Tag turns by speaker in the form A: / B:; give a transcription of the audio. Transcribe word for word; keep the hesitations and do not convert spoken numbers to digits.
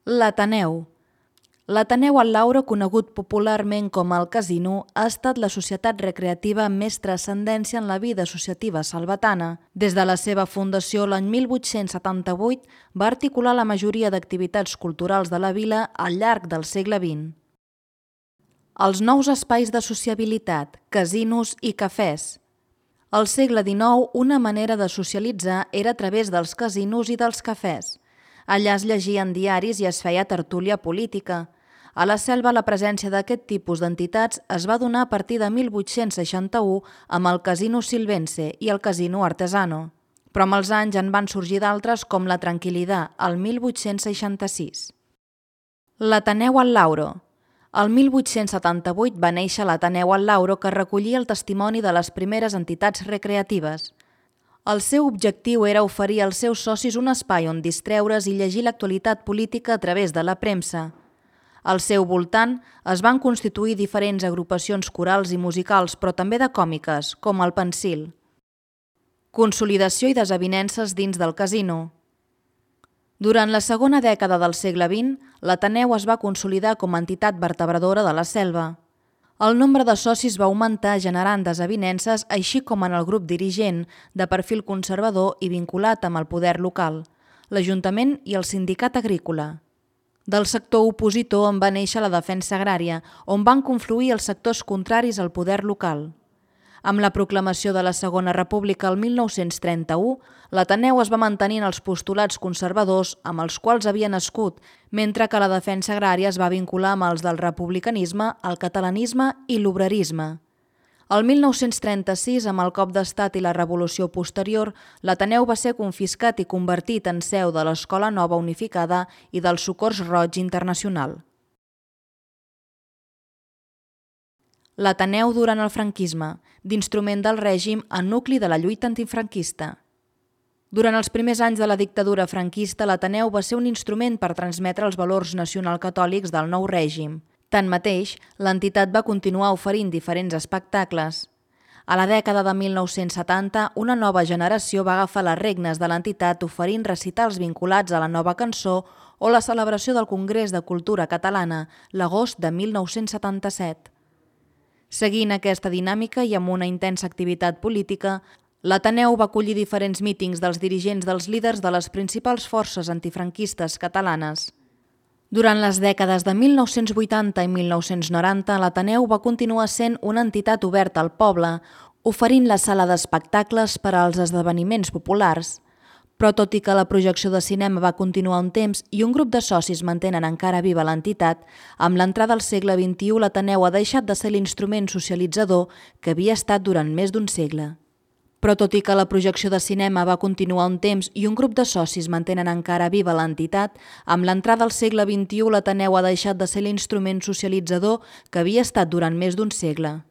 A: L'Ateneu. L'Ateneu al Lauro, conegut popularment com el Casino, ha estat la societat recreativa amb més transcendència en la vida associativa salvatana. Des de la seva fundació l'any mil vuit-cents setanta-vuit va articular la majoria d'activitats culturals de la vila al llarg del segle vint. Els nous espais de sociabilitat, casinos i cafès. Al segle dinou, una manera de socialitzar era a través dels casinos i dels cafès. Allà es llegien diaris i es feia tertúlia política. A la Selva la presència d'aquest tipus d'entitats es va donar a partir de mil vuit-cents seixanta-u amb el Casino Silvense i el Casino Artesano. Però amb els anys en van sorgir d'altres com la Tranquil·lidad, el mil vuit-cents seixanta-sis. L'Ateneu al Lauro. El mil vuit-cents setanta-vuit va néixer l'Ateneu al Lauro, que recollia el testimoni de les primeres entitats recreatives. El seu objectiu era oferir als seus socis un espai on distreure's i llegir l'actualitat política a través de la premsa. Al seu voltant es van constituir diferents agrupacions corals i musicals, però també de còmiques, com el Pensil. Consolidació i desavinences dins del casino. Durant la segona dècada del segle vint, l'Ateneu es va consolidar com a entitat vertebradora de la Selva. El nombre de socis va augmentar generant desavinences, així com en el grup dirigent, de perfil conservador i vinculat amb el poder local, l'Ajuntament i el Sindicat Agrícola. Del sector opositor en va néixer la Defensa Agrària, on van confluir els sectors contraris al poder local. Amb la proclamació de la Segona República el mil nou-cents trenta-u, l'Ateneu es va mantenir en els postulats conservadors amb els quals havia nascut, mentre que la defensa agrària es va vincular amb els del republicanisme, el catalanisme i l'obrerisme. El mil nou-cents trenta-sis, amb el cop d'estat i la revolució posterior, l'Ateneu va ser confiscat i convertit en seu de l'Escola Nova Unificada i del Socors Roig Internacional. L'Ateneu durant el franquisme, d'instrument del règim en nucli de la lluita antifranquista. Durant els primers anys de la dictadura franquista, l'Ateneu va ser un instrument per transmetre els valors nacionalcatòlics del nou règim. Tanmateix, l'entitat va continuar oferint diferents espectacles. A la dècada de mil nou-cents setanta, una nova generació va agafar les regnes de l'entitat oferint recitals vinculats a la nova cançó o la celebració del Congrés de Cultura Catalana, l'agost de mil nou-cents setanta-set. Seguint aquesta dinàmica i amb una intensa activitat política, l'Ateneu va acollir diferents mítings dels dirigents dels líders de les principals forces antifranquistes catalanes. Durant les dècades de mil nou-cents vuitanta i mil nou-cents noranta, l'Ateneu va continuar sent una entitat oberta al poble, oferint la sala d'espectacles per als esdeveniments populars. Però tot i que la projecció de cinema va continuar un temps i un grup de socis mantenen encara viva l'entitat, amb l'entrada al segle vint-i-u l'Ateneu ha deixat de ser l'instrument socialitzador que havia estat durant més d'un segle. Però tot i que la projecció de cinema va continuar un temps i un grup de socis mantenen encara viva l'entitat, amb l'entrada al segle vint-i-u l'Ateneu ha deixat de ser l'instrument socialitzador que havia estat durant més d'un segle.